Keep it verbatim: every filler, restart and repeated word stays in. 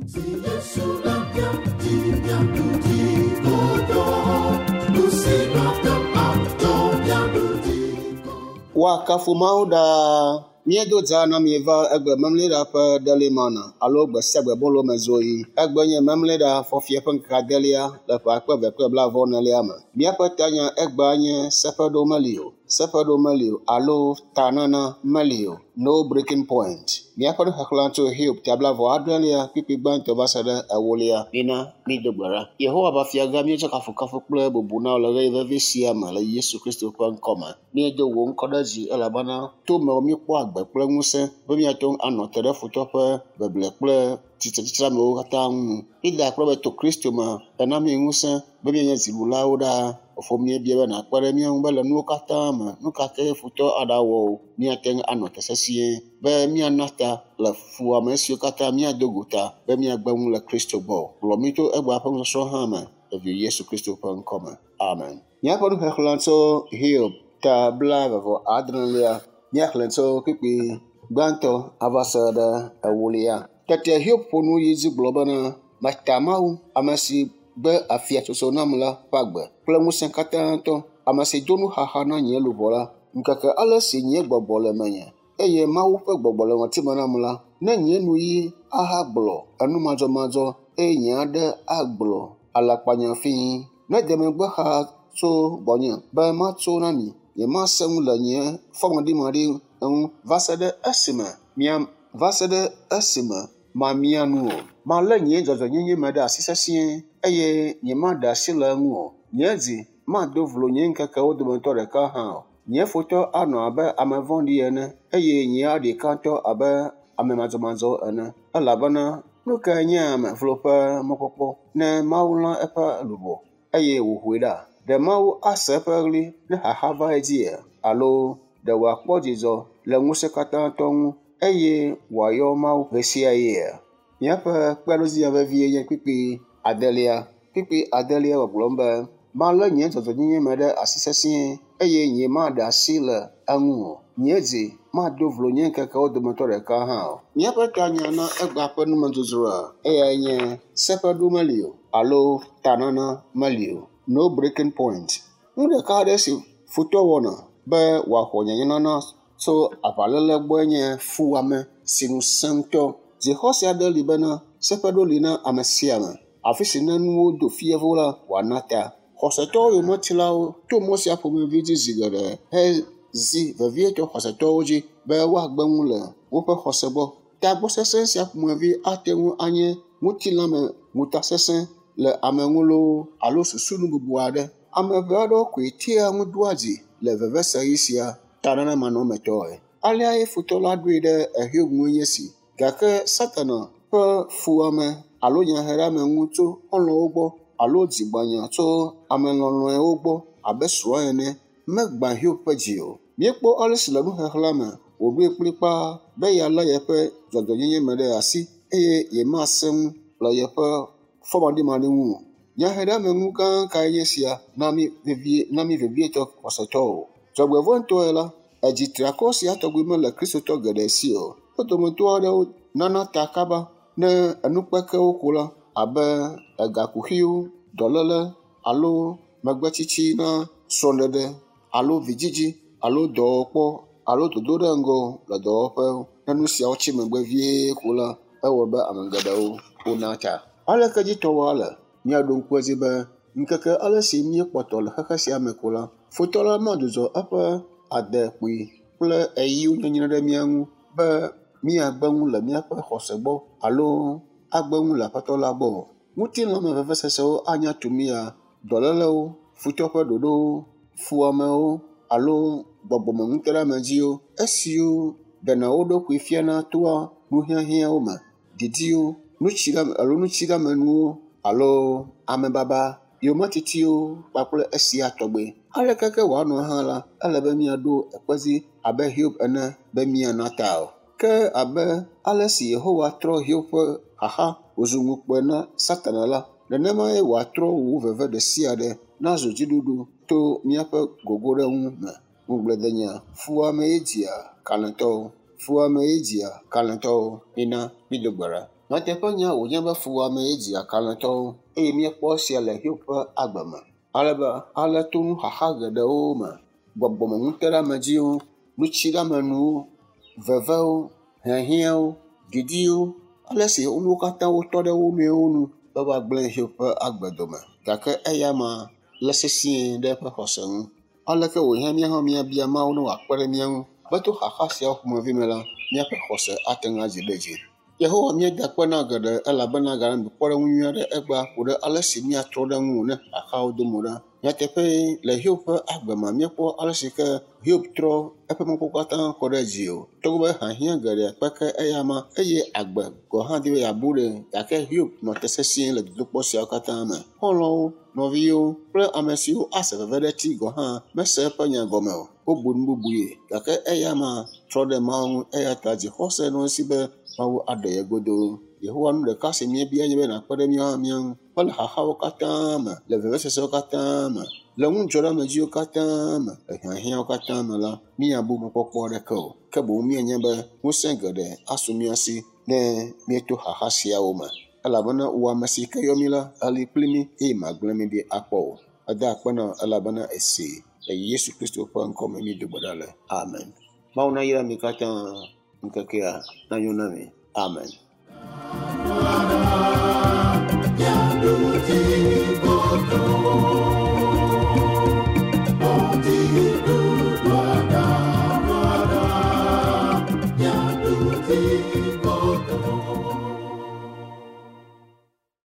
Si Yesu le mía dzi míaɖu dzi godoo, nu si mate ŋu atso míaɖu dzi godoo. Woakafu Mawu ɖaa. Míedo dza na mi va egbe memleɖa ƒe ɖelimana alo gbe sia gbe bolo me zoɣi. Egbe nye memleɖa fɔfia ƒe ŋkeke adelia le ƒe akpe eve kple blaeve enelia me. Míaƒe tanya egbea nye seƒeɖo meli o, seƒeɖo meli o alo tanana meli o, no breaking point. Míaƒe nuxexlẽ tso Hiob ta blaeve adrelia kpukpui gbãtɔ va se ɖe ewolia. Mina mído gbe ɖa. Yehowa ƒe fiagã míetsɔ kafukafu kple bubu na wò le ɣeyiɣi vevi sia me le Yesu Kristo ƒe ŋkɔme. Míedo wò ŋkɔ ɖe dzi elabena to mewò míekpɔ agbe kple ŋusẽ be míate ŋu anɔ te ɖe futɔ ƒe beble kple tsitretsitsiamewo katã ŋu. Míeda akpe be to Kristo me ena mí ŋusẽ be míanye dziɖulawo ɖaa. Fofo míebia be nàkpe ɖe mía ŋu be le nuwo katã me, nu ka kee futɔ aɖawɔ o, míate ŋu anɔ te sesĩe be míana ta le fuwɔame siwo katã míado go ta be míagbe nu le Kristo gbɔ o. Kplɔ mí to egbea ƒe nusɔsrɔ̃ hã me le vi Yesu Kristo ƒe ŋkɔme. Amen. Míaƒe nuxexlẽ tso Hiob ta blaeve vɔ adrelia míaxlẽ tso kpukpui gbãtɔ ava se ɖe ewolia. Tete Hiob ƒo nu yi dzi gblɔ bena, meta Mawu, ame si gbe afiatsotso nam la ƒe agbe kple ŋusẽ katãtɔ, ame si do nuxaxa na nye luʋɔ la, ŋkeke ale si nye gbɔgbɔ le menye eye Mawu ƒe gbɔgbɔ le ŋɔtime nam la, ne nye nuyi ahagblɔ enumadzɔmadzɔ eye nye aɖe agblɔ alakpanya fĩi. Ne de megbe xa tso gbɔnye be matso na mi, nyemasẽ ŋu le nye fɔmaɖimaɖi ŋu va se ɖe esime mia va se ɖe esime mamia nu o. Malé nye dzɔdzɔenyenye me ɖe asi sesĩe eye nyemaɖe asi le eŋu o. Nye dzi mado vlo nye ŋkekewo dometɔ ɖeka hã o. Nye futɔ anɔ abe ame vɔ̃ɖi ene eye nye aɖikatɔ abe ame madzɔmadzɔ ene. Elabena nu kae nye ame vlo ƒe mɔkpɔkpɔ ne Mawu lã eƒe luʋɔ eye wòhoe ɖa? Ɖe Mawu ase eƒe ɣli ne xaxa va edzia? Alo ɖe wòakpɔ dzidzɔ le ŋusẽkatãtɔ ŋu eye wòayɔ Mawu ɣesiaɣia? Míaƒe kpeɖodzinya vevie nye kpukpui adelia. Kpukpui adelia gbɔgblɔm be, malé nye dzɔdzɔenyenye me ɖe asi sesĩe eye nyemaɖe asi le eŋu o. Nye dzi mado vlo nye ŋkekewo dometɔ ɖeka hã o. Míaƒe tanya na egbea ƒe numedzodzroa eyae nye seƒeɖo meli o alo tanana meli o, no breaking point. Nu ɖeka aɖe si futɔ wɔna be wòaxɔ nyanyanana tso aʋaléle gbɔe nye fuwɔame si nu sẽ ŋutɔ. Dzixɔse aɖe li bena seƒeɖo li na ame sia ame. Afi si ne nuwo do fievo la, wòana ta. Xɔsetɔwo yometilawo to mɔ sia ƒomevi dzi zi geɖe hezi vevietɔ xɔsetɔwo dzi be woagbe nu le woƒe xɔse gbɔ. Tagbɔsesẽ sia ƒomevi ate ŋu anye ŋutilãme ŋutasesẽ le ame ŋu loo alo susunu bubu aɖe. Ame ʋɛ aɖewo koe tea ŋu doa dzi le veveseɣi sia tananamanɔmetɔe. Aleae futɔ la ɖoe ɖe Hiob ŋue nye esi. Gake Satana ƒe fuwɔame alo nyaheɖeameŋu tso xɔlɔ̃wo gbɔ alo dzigbãnya tso ame lɔlɔ̃ewo gbɔ abe srɔ̃a ene megbã Hiob ƒe dzi o. Míekpɔ ale si le nuxexlẽa me wòɖoe kplikpaa be yealé yeƒe dzɔdzɔenyenye me ɖe asi eye yemasẽ ŋu le yeƒe fɔmaɖimaɖi ŋu o. Nyaheɖeameŋu gã kae nye sia na mí vevie na mí vevietɔ xɔsetɔwo. Dzɔgbevɔ̃etɔe la, edzi triakɔ sia tɔgbi mele kristotɔ geɖe si o. Wo dometɔ aɖewo nana ta kaba ne enukpekewo ko la abe egakuxiwo, dɔléle alo megbetsitsi na srɔ̃ɖeɖe alo vidzidzi alo dɔwɔkpɔ alo dodo ɖe ŋgɔ le dɔwɔƒewo. Ne nu siawo tsi megbe vie ko la, ewɔ be ame geɖewo wona ta. Aleke dzi tɔwoa le? Míaɖo ŋku edzi be ŋkeke ale si míekpɔtɔ le xexe sia me ko la, futɔ la madzudzɔ eƒe adekpui kple eyiwo nyenyre ɖe mía ŋu be míagbe nu le míaƒe xɔse gbɔ alo agbe nu le Aƒetɔ la gbɔ o. Ŋutilãme vevesesewo anya tu mía, dɔlélewo, futɔ ƒe ɖoɖowo, fuwɔamewo alo gbɔgbɔmeŋuteɖeamedziwo, esiwo ɖena wo ɖokui fiana toa nuhiahiãwo me, didiwo, nutsiɖeame alo nutsiɖeamenuwo alo amebaba, yometitiwo kpakple esia tɔgbe. Aleke ke wòanɔ hã la, ele be míaɖo ekpe dzi abe Hiob ene be míana ta o. Ke abe ale si Yehowa trɔ Hiob ƒe xaxa wòzu ŋukpe na Satana la, nenemae wòatrɔ wò veve ɖe sia ɖe nazu dziɖuɖu to míaƒe gogoɖeŋu me. Ŋugbledenya fuwɔamee dzia kalẽtɔwo. Fuwɔamee dzia kalẽtɔwo. Mina mído gbe ɖa. Nyateƒenya wònye be fuwɔame ye dzia kalẽtɔwo eye míekpɔ esia le Hiob ƒe agbe me. Ale be ale to nuxaxa geɖewo me, gbɔgbɔmenuteɖeamedziwo, nutsiɖeamenuwo, vevewo, hiahiãwo, didiwo, ale si nuwo katã wotɔ ɖe wo nɔewo nu be woagblẽ Hiob ƒe agbe dome. Gake eya ma lé sesĩe ɖe eƒe xɔse ŋu. Aleke wòhiã mía hã míabia Mawu ne wòakpe ɖe mía ŋu be to xaxa siawo ƒomevi me la, míaƒe xɔse ate ŋu adzi ɖe edzi. Yehowa míeda akpe na geɖe elabena gale kpɔɖeŋu nyui aɖe egbea ku ɖe ale si míatrɔ ɖe ŋuwò ne xaxawo do mo ɖa. Nyateƒee le Hiob ƒe agbe me míekpɔ ale si ke Hiob trɔ eƒe mɔkpɔkpɔ katã kɔ ɖe dzi o. Togbɔ be hiahiã geɖe kpeke eya ma eye agbe gɔ̃ hã di be yeabu ɖe gake Hiob nɔ te sesĩe le dodokpɔ siawo katã me. Xɔlɔ̃wo, nɔviwo kple ame siwo ase veve ɖe eti gɔ̃ hã mese eƒe nya gɔme o. Wobu nu bubui gake eya ma trɔ ɖe Mawu ŋu eya ta dzixɔse nɔ esi be Mawu aɖe ye godoo. Yehowa nu ɖeka si míebia nye be nàkpe ɖe míawo hã mía ŋu be le xaxawo katã me, le vevesesewo katã me, le ŋudzɔɖeamedziwo katã me, le hiahiãwo katã me la, míabu mɔkpɔkpɔ aɖeke o. Ke boŋ míanya be ŋusẽ geɖe asu mía si ne míeto xaxa siawo me. Elabena wò ame si ke yɔ mí la, eli kpli mí eye magblẽ mí ɖi akpɔ o. Eda akpe na elabena esee. Le Yesu Kristo ƒe ŋkɔme míedo gbe ɖa le. Amen. Mawu nayra mi katã ŋkekea nanyo na mi. Amen.